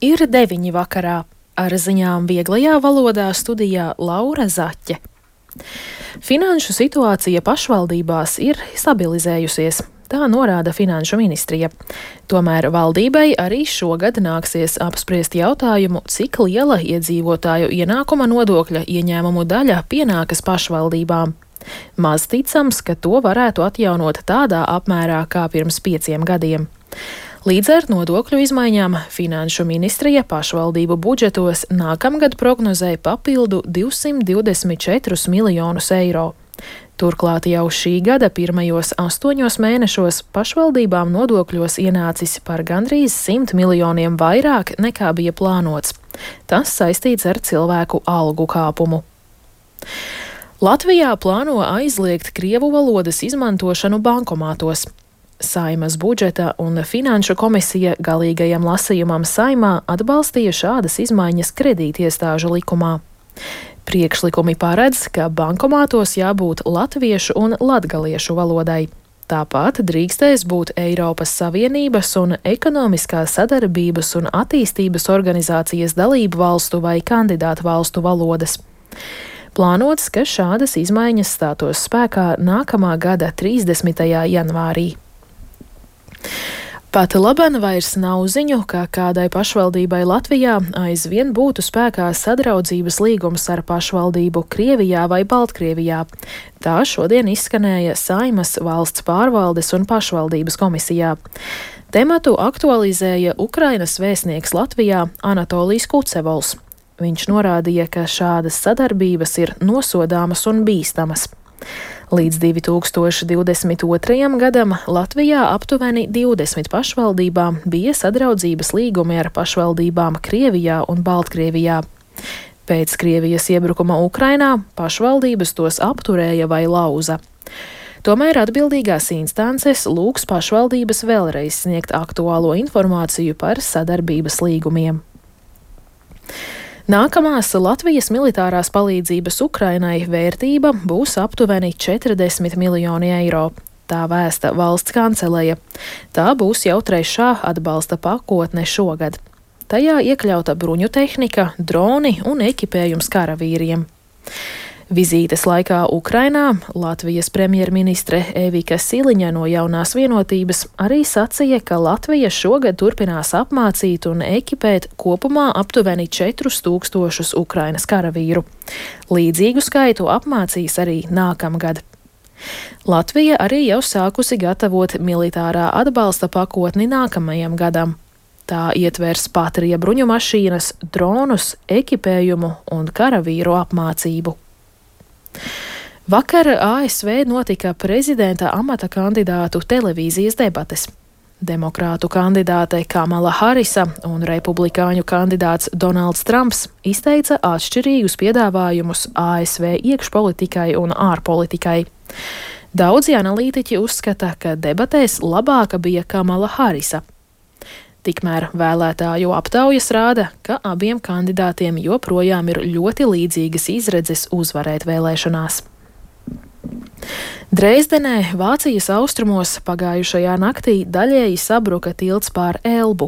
Ir 9 vakarā. Ar ziņām vieglajā valodā studijā Laura Zaķe. Finanšu situācija pašvaldībās ir stabilizējusies. Tā norāda Finanšu ministrija. Tomēr valdībai arī šogad nāksies apspriest jautājumu, cik liela iedzīvotāju ienākuma nodokļa ieņēmumu daļa pienākas pašvaldībām. Maz ticams, ka to varētu atjaunot tādā apmērā kā pirms 5 gadiem. Līdz ar nodokļu izmaiņām Finanšu ministrija pašvaldību budžetos nākamgad prognozēja papildu 224 miljonus eiro. Turklāt jau šī gada pirmajos 8 mēnešos pašvaldībām nodokļos ienācis par gandrīz 100 miljoniem vairāk nekā bija plānots. Tas saistīts ar cilvēku algu kāpumu. Latvijā plāno aizliegt krievu valodas izmantošanu bankomātos. Saeimas budžeta un finanšu komisija galīgajam lasījumam Saeimā atbalstīja šādas izmaiņas kredītiestāžu likumā. Priekšlikumi paredz, ka bankomātos jābūt latviešu un latgaliešu valodai. Tāpat drīkstēs būt Eiropas Savienības un Ekonomiskās sadarbības un attīstības organizācijas dalību valstu vai kandidātu valstu valodas. Plānots, ka šādas izmaiņas stātos spēkā nākamā gada 30. janvārī. Pat laban vairs nav ziņu, ka kādai pašvaldībai Latvijā aizvien būtu spēkā sadraudzības līgums ar pašvaldību Krievijā vai Baltkrievijā. Tā šodien izskanēja Saeimas valsts pārvaldes un pašvaldības komisijā. Tematu aktualizēja Ukrainas vēstnieks Latvijā Anatolijs Kucevols. Viņš norādīja, ka šādas sadarbības ir nosodāmas un bīstamas. Līdz 2022. gadam Latvijā aptuveni 20 pašvaldībām bija sadraudzības līgumi ar pašvaldībām Krievijā un Baltkrievijā. Pēc Krievijas iebrukuma Ukrainā pašvaldības tos apturēja vai lauza. Tomēr atbildīgās instances lūgs pašvaldības vēlreiz sniegt aktuālo informāciju par sadarbības līgumiem. Nākamās Latvijas militārās palīdzības Ukrainai vērtība būs aptuveni 40 miljoni eiro. Tā vēsta valsts kanceleja. Tā būs jau 3. atbalsta pakotne šogad. Tajā iekļauta bruņu tehnika, droni un ekipējums karavīriem. Vizītes laikā Ukrainā Latvijas premjerministre Evika Siliņa no Jaunās vienotības arī sacīja, ka Latvija šogad turpinās apmācīt un ekipēt kopumā aptuveni 4000 Ukrainas karavīru. Līdzīgu skaitu apmācīs arī nākamgad. Latvija arī jau sākusi gatavot militārā atbalsta pakotni nākamajam gadam. Tā ietvers Patrija bruņu mašīnas, dronus, ekipējumu un karavīru apmācību. Vakar ASV notika prezidenta amata kandidātu televīzijas debates. Demokrātu kandidāte Kamala Harisa un republikāņu kandidāts Donalds Trumps izteica atšķirīgus piedāvājumus ASV iekšpolitikai un ārpolitikai. Daudzi analītiķi uzskata, ka debatēs labāka bija Kamala Harisa. Tikmēr vēlētāju aptaujas rāda, ka abiem kandidātiem joprojām ir ļoti līdzīgas izredzes uzvarēt vēlēšanās. Dresdenē, Vācijas austrumos, pagājušajā naktī daļēji sabruka tilts pār Elbu.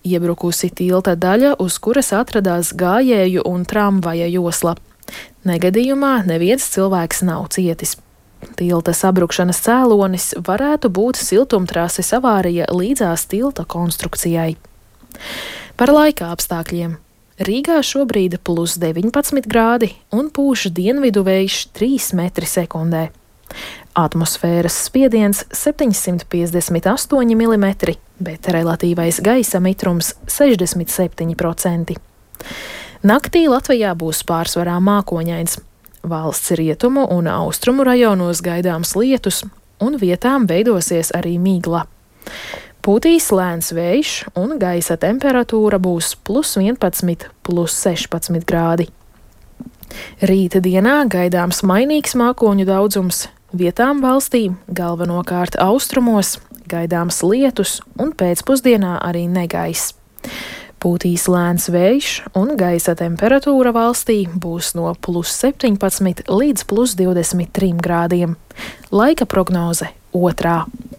Iebrukusi tilta daļa, uz kuras atradās gājēju un tramvaja josla. Negadījumā neviens cilvēks nav cietis. Tilta sabrukšanas cēlonis varētu būt siltumtrases avārija līdzās tilta konstrukcijai. Par laika apstākļiem. Rīgā šobrīd +19 grādi un pūš dienvidu vējš 3 metri sekundē. Atmosfēras spiediens 758 mm, bet relatīvais gaisa mitrums 67%. Naktī Latvijā būs pārsvarā mākoņains. Valsts rietumu un austrumu rajonos gaidāms lietus, un vietām veidosies arī migla. Pūtīs lēns vējš, un gaisa temperatūra būs +11, +16 grādi. Rīta dienā gaidāms mainīgs mākoņu daudzums, vietām valstī, galvenokārt austrumos, gaidāms lietus un pēcpusdienā arī negaiss. Pūtīs lēns vējš un gaisa temperatūra valstī būs no +17 līdz +23 grādiem. Laika prognoze 2.